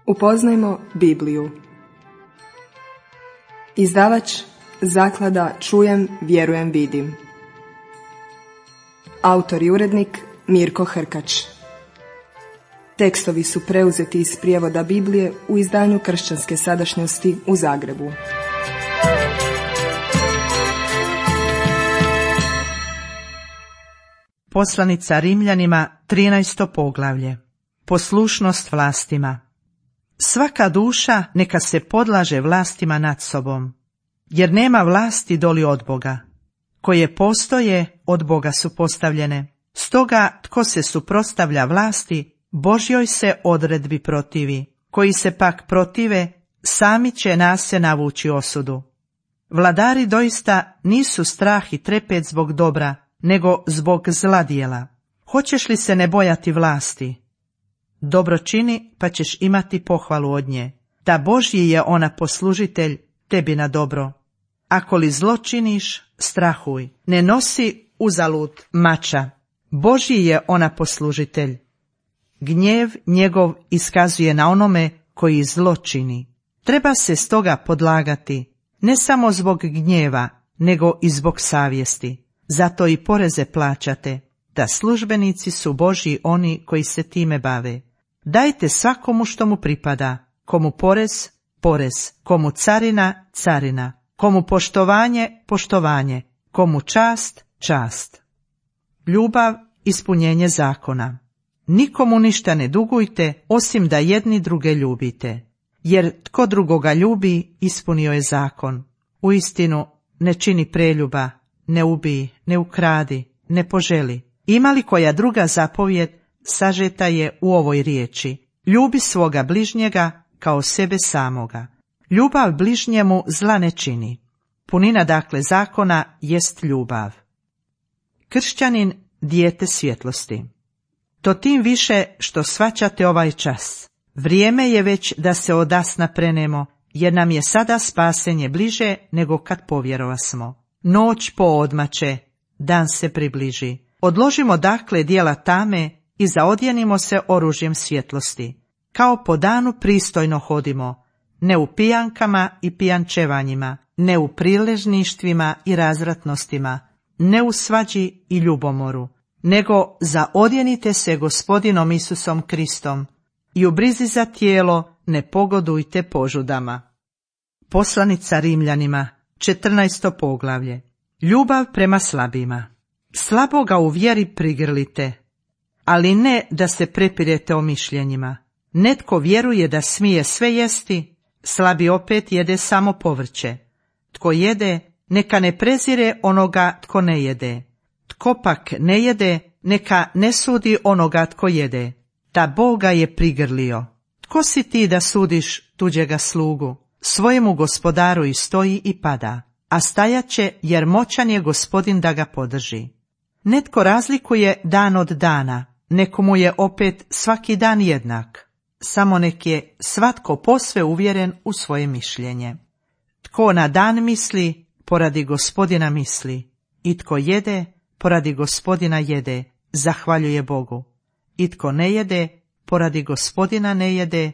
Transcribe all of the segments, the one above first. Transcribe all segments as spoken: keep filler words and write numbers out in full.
Upoznajmo Bibliju. Izdavač Zaklada Čujem, vjerujem, vidim. Autor i urednik Mirko Hrkač. Tekstovi su preuzeti iz prijevoda Biblije u izdanju Kršćanske sadašnjosti u Zagrebu. Poslanica Rimljanima, trinaesto poglavlje. Poslušnost vlastima. Svaka duša neka se podlaže vlastima nad sobom, jer nema vlasti doli od Boga. Koje postoje, od Boga su postavljene. Stoga, tko se suprotstavlja vlasti, Božjoj se odredbi protivi. Koji se pak protive, sami će nas se navući osudu. Vladari doista nisu strah i trepet zbog dobra, nego zbog zla djela. Hoćeš li se ne bojati vlasti? Dobro čini, pa ćeš imati pohvalu od nje. Da Božji je ona poslužitelj tebi na dobro. Ako li zlo činiš, strahuj. Ne nosi uzalud mača. Božji je ona poslužitelj. Gnjev njegov iskazuje na onome koji zlo čini. Treba se stoga podlagati, ne samo zbog gnjeva, nego i zbog savjesti. Zato i poreze plaćate, da službenici su Božji oni koji se time bave. Dajte svakomu što mu pripada, komu porez, porez, komu carina, carina, komu poštovanje, poštovanje, komu čast, čast. Ljubav, ispunjenje zakona. Nikomu ništa ne dugujte, osim da jedni druge ljubite. Jer tko drugoga ljubi, ispunio je zakon. Uistinu, ne čini preljuba, ne ubij, ne ukradi, ne poželi. Ima li koja druga zapovjed, sažeta je u ovoj riječi: ljubi svoga bližnjega kao sebe samoga. Ljubav bližnjemu zla ne čini. Punina dakle zakona jest ljubav. Kršćanin, dijete svjetlosti. To tim više što shvaćate ovaj čas. Vrijeme je već da se odasna prenemo, jer nam je sada spasenje bliže nego kad povjerovasmo. Noć poodmače, dan se približi. Odložimo dakle djela tame i zaodjenimo se oružjem svjetlosti. Kao po danu pristojno hodimo, ne u pijankama i pijančevanjima, ne u priležništvima i razvratnostima, ne u svađi i ljubomoru, nego zaodjenite se Gospodinom Isusom Kristom i u brizi za tijelo ne pogodujte požudama. Poslanica Rimljanima, četrnaesto poglavlje. Ljubav prema slabima. Slaboga u vjeri prigrlite, ali ne da se prepirete o mišljenjima. Netko vjeruje da smije sve jesti, slabi opet jede samo povrće. Tko jede, neka ne prezire onoga tko ne jede. Tko pak ne jede, neka ne sudi onoga tko jede. Da Boga je prigrlio. Tko si ti da sudiš tuđega slugu? Svojemu gospodaru i stoji i pada, a stajat će jer moćan je Gospodin da ga podrži. Netko razlikuje dan od dana, nekomu je opet svaki dan jednak. Samo nek je svatko posve uvjeren u svoje mišljenje. Tko na dan misli, poradi Gospodina misli. I tko jede, poradi Gospodina jede, zahvaljuje Bogu. I tko ne jede, poradi Gospodina ne jede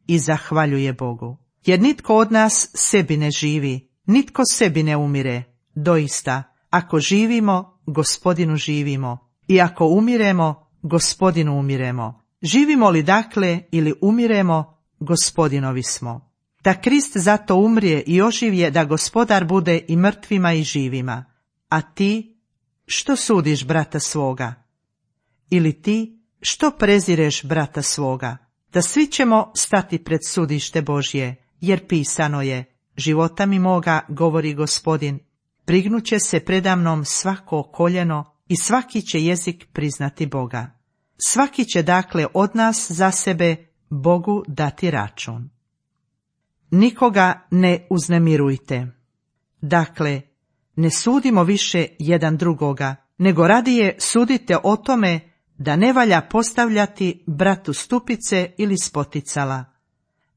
i zahvaljuje Bogu. Jer nitko od nas sebi ne živi, nitko sebi ne umire. Doista, ako živimo, Gospodinu živimo, i ako umiremo, Gospodinu umiremo. Živimo li dakle ili umiremo, Gospodinovi smo. Da Krist zato umrije i oživje, da Gospodar bude i mrtvima i živima. A ti, što sudiš brata svoga? Ili ti, što prezireš brata svoga? Da svi ćemo stati pred sudište Božje, jer pisano je: života mi moga, govori Gospodin, prignuće se predamnom svako koljeno i svaki će jezik priznati Boga. Svaki će dakle od nas za sebe Bogu dati račun. Nikoga ne uznemirujte. Dakle, ne sudimo više jedan drugoga, nego radije sudite o tome da ne valja postavljati bratu stupice ili spoticala.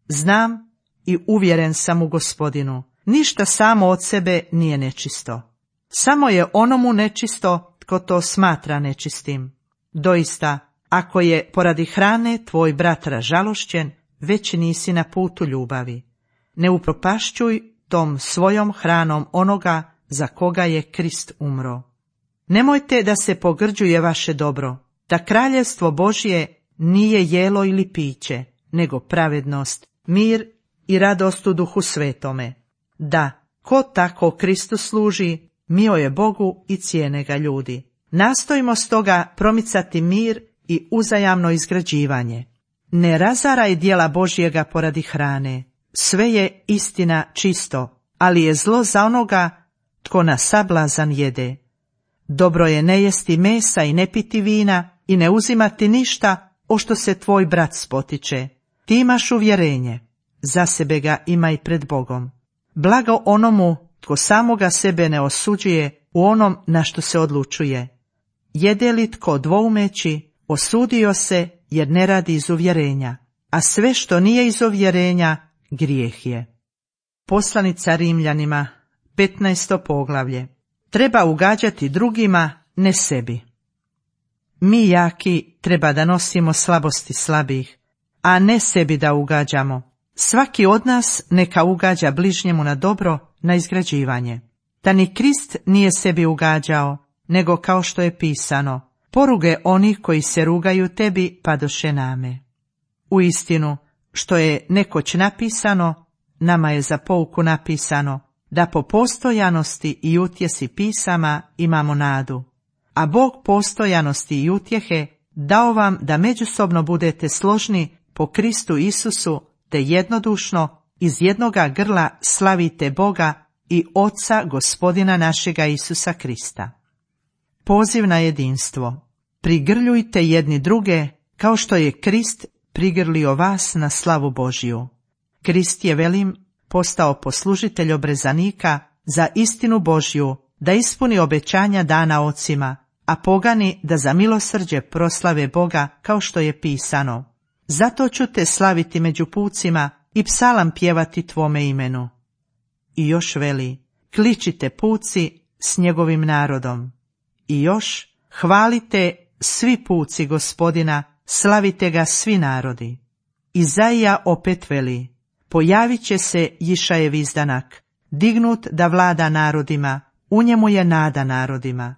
Znam i uvjeren sam u Gospodinu, ništa samo od sebe nije nečisto. Samo je onomu nečisto tko to smatra nečistim. Doista, ako je poradi hrane tvoj brat ražalošćen, već nisi na putu ljubavi. Ne upropašćuj tom svojom hranom onoga za koga je Krist umro. Nemojte da se pogrđuje vaše dobro, da kraljevstvo Božje nije jelo ili piće, nego pravednost, mir i radost u Duhu Svetome. Da, ko tako Kristu služi, mio je Bogu i cijene ga ljudi. Nastojimo stoga promicati mir i uzajamno izgrađivanje. Ne razaraj djela Božjega poradi hrane. Sve je istina čisto, ali je zlo za onoga tko na sablazan jede. Dobro je ne jesti mesa i ne piti vina i ne uzimati ništa o što se tvoj brat spotiče. Ti imaš uvjerenje, za sebe ga imaj pred Bogom. Blago onomu tko samoga sebe ne osuđuje u onom na što se odlučuje. Jede li tko dvoumeći, osudio se jer ne radi iz uvjerenja, a sve što nije iz uvjerenja, grijeh je. Poslanica Rimljanima, petnaesto poglavlje. Treba ugađati drugima, ne sebi. Mi jaki treba da nosimo slabosti slabih, a ne sebi da ugađamo. Svaki od nas neka ugađa bližnjemu na dobro, na izgrađivanje. Da ni Krist nije sebi ugađao, nego kao što je pisano, poruge onih koji se rugaju tebi padoše name. U istinu, što je nekoć napisano, nama je za pouku napisano, da po postojanosti i utjesi pisama imamo nadu. A Bog postojanosti i utjehe dao vam da međusobno budete složni po Kristu Isusu, te jednodušno iz jednoga grla slavite Boga i Oca Gospodina našega Isusa Krista. Poziv na jedinstvo. Prigrljujte jedni druge kao što je Krist prigrlio vas na slavu Božju. Krist je, velim, postao poslužitelj obrezanika za istinu Božju, da ispuni obećanja dana ocima, a pogani da za milosrđe proslave Boga kao što je pisano. Zato ću te slaviti među pucima i psalam pjevati tvome imenu. I još veli, kličite puci s njegovim narodom. I još, hvalite svi puci Gospodina, slavite ga svi narodi. Izaija opet veli, pojavit će se Jišajev izdanak, dignut da vlada narodima, u njemu je nada narodima.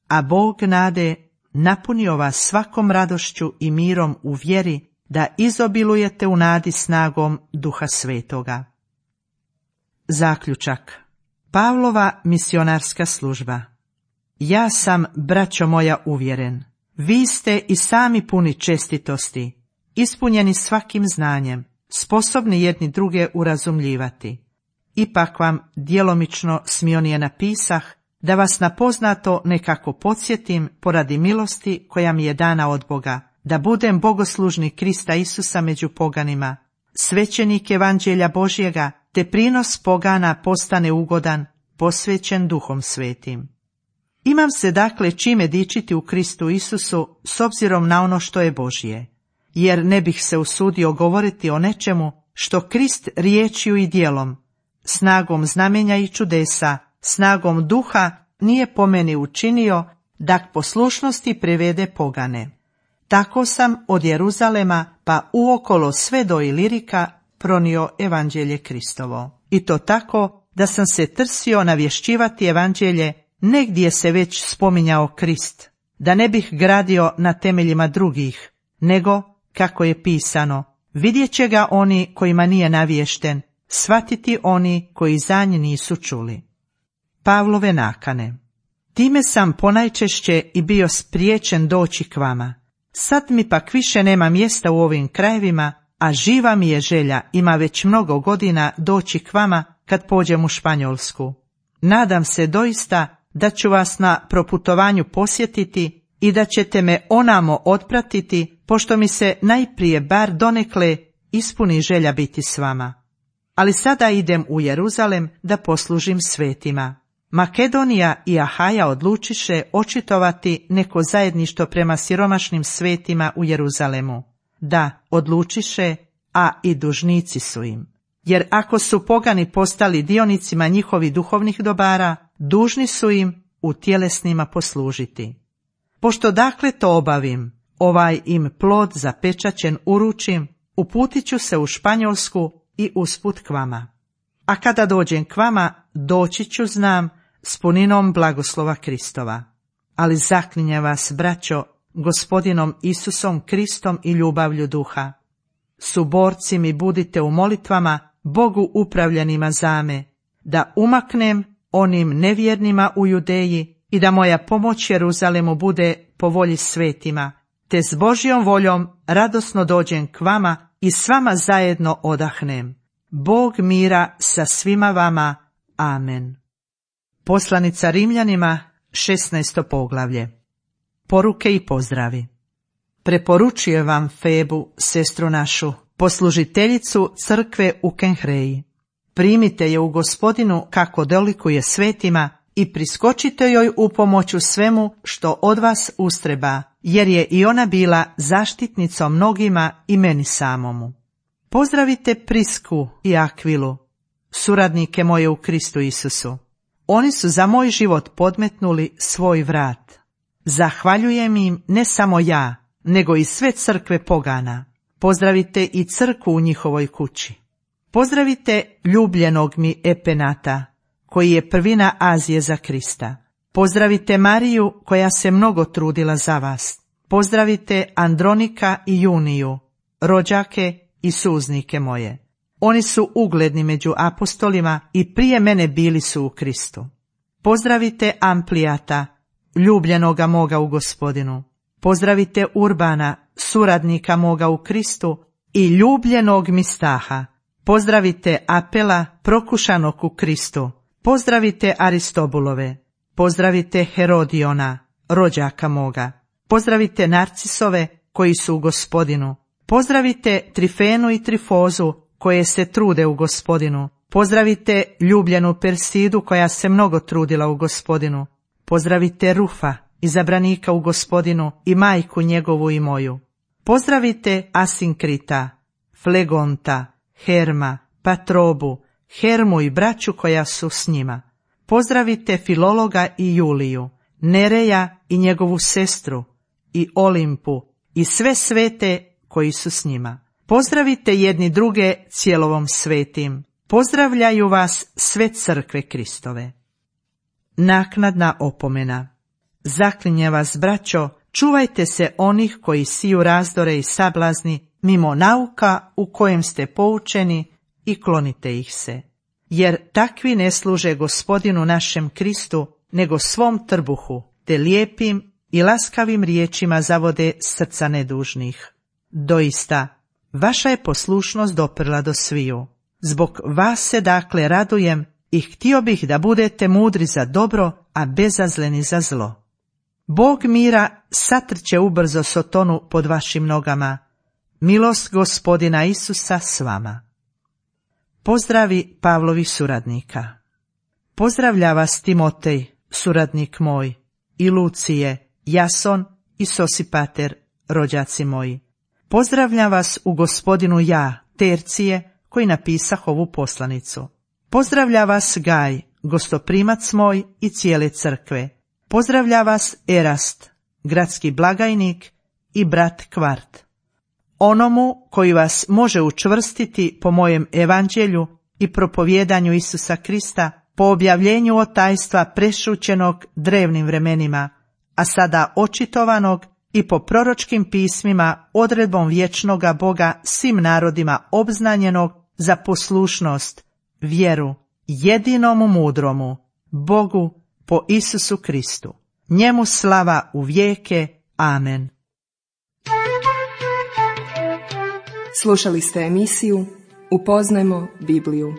A Bog nade napunio vas svakom radošću i mirom u vjeri, da izobilujete u nadi snagom Duha Svetoga. Zaključak. Pavlova misionarska služba. Ja sam, braćo moja, uvjeren. Vi ste i sami puni čestitosti, ispunjeni svakim znanjem, sposobni jedni druge urazumljivati. Ipak vam djelomično smionije napisah, da vas na poznato nekako podsjetim poradi milosti koja mi je dana od Boga, da budem bogoslužnik Krista Isusa među poganima, svećenik evanđelja Božjega, te prinos pogana postane ugodan, posvećen Duhom Svetim. Imam se dakle čime dičiti u Kristu Isusu s obzirom na ono što je Božje, jer ne bih se usudio govoriti o nečemu što Krist riječju i djelom, snagom znamenja i čudesa, snagom duha nije po meni učinio da k poslušnosti privede pogane. Tako sam od Jeruzalema pa uokolo sve do Ilirika pronio evanđelje Kristovo. I to tako da sam se trsio navješćivati evanđelje negdje se već spominjao Krist, da ne bih gradio na temeljima drugih, nego, kako je pisano, vidjet će ga oni kojima nije navješten, shvatiti oni koji za nj nisu čuli. Pavlove nakane. Time sam ponajčešće i bio spriječen doći k vama. Sad mi pak više nema mjesta u ovim krajevima, a živa mi je želja, ima već mnogo godina, doći k vama kad pođem u Španjolsku. Nadam se doista da ću vas na proputovanju posjetiti i da ćete me onamo otpratiti, pošto mi se najprije bar donekle ispuni želja biti s vama. Ali sada idem u Jeruzalem da poslužim svetima. Makedonija i Ahaja odlučiše očitovati neko zajedništvo prema siromašnim svetima u Jeruzalemu. Da, odlučiše, a i dužnici su im. Jer ako su pogani postali dionicima njihovih duhovnih dobara, dužni su im u tjelesnima poslužiti. Pošto dakle to obavim, ovaj im plod zapečaćen uručim, uputit ću se u Španjolsku i usput k vama. A kada dođem k vama, doći ću, znam, s puninom blagoslova Kristova. Ali zaklinjem vas, braćo, Gospodinom Isusom Kristom i ljubavlju duha. Suborci mi budite u molitvama, Bogu upravljanima zame, da umaknem onim nevjernima u Judeji i da moja pomoć Jeruzalemu bude po volji svetima, te s Božjom voljom radosno dođem k vama i s vama zajedno odahnem. Bog mira sa svima vama. Amen. Poslanica Rimljanima, šesnaesto poglavlje. Poruke i pozdravi. Preporučujem vam Febu, sestru našu, poslužiteljicu crkve u Kenhreji. Primite je u Gospodinu kako dolikuje svetima i priskočite joj u pomoć u svemu što od vas ustreba, jer je i ona bila zaštitnicom mnogima i meni samomu. Pozdravite Prisku i Akvilu, suradnike moje u Kristu Isusu. Oni su za moj život podmetnuli svoj vrat. Zahvaljujem im ne samo ja, nego i sve crkve pogana. Pozdravite i crkvu u njihovoj kući. Pozdravite ljubljenog mi Epenata, koji je prvina Azije za Krista. Pozdravite Mariju, koja se mnogo trudila za vas. Pozdravite Andronika i Juniju, rođake i suznike moje. Oni su ugledni među apostolima i prije mene bili su u Kristu. Pozdravite Amplijata, ljubljenoga moga u Gospodinu. Pozdravite Urbana, suradnika moga u Kristu i ljubljenog mi Staha. Pozdravite Apela, prokušanog u Kristu. Pozdravite Aristobulove. Pozdravite Herodiona, rođaka moga. Pozdravite Narcisove, koji su u Gospodinu. Pozdravite Trifenu i Trifozu, koje se trude u Gospodinu. Pozdravite ljubljenu Persidu, koja se mnogo trudila u Gospodinu. Pozdravite Rufa, izabranika u Gospodinu, i majku njegovu i moju. Pozdravite Asinkrita, Flegonta, Herma, Patrobu, Hermu i braću koja su s njima. Pozdravite Filologa i Juliju, Nereja i njegovu sestru, i Olimpu, i sve svete koji su s njima. Pozdravite jedni druge cijelovom svetim. Pozdravljaju vas sve crkve Kristove. Naknadna opomena. Zaklinjem vas, braćo, čuvajte se onih koji siju razdore i sablazni mimo nauka u kojem ste poučeni i klonite ih se. Jer takvi ne služe Gospodinu našem Kristu, nego svom trbuhu, te lijepim i laskavim riječima zavode srca nedužnih. Doista, vaša je poslušnost doprla do sviju. Zbog vas se dakle radujem i htio bih da budete mudri za dobro, a bezazleni za zlo. Bog mira satrće ubrzo Sotonu pod vašim nogama. Milost Gospodina Isusa s vama. Pozdravi Pavlovih suradnika. Pozdravlja vas Timotej, suradnik moj, i Lucije, Jason i Sosipater, rođaci moji. Pozdravljam vas u Gospodinu ja, Tercije, koji napisah ovu poslanicu. Pozdravlja vas Gaj, gostoprimac moj, i cijele crkve. Pozdravlja vas Erast, gradski blagajnik, i brat Kvart. Onomu koji vas može učvrstiti po mojem evanđelju i propovjedanju Isusa Krista, po objavljenju otajstva prešućenog drevnim vremenima, a sada očitovanog i po proročkim pismima odredbom vječnoga Boga svim narodima obznanjenog za poslušnost, vjeru, jedinomu mudromu, Bogu po Isusu Kristu. Njemu slava u vijeke. Amen. Slušali ste emisiju Upoznajmo Bibliju.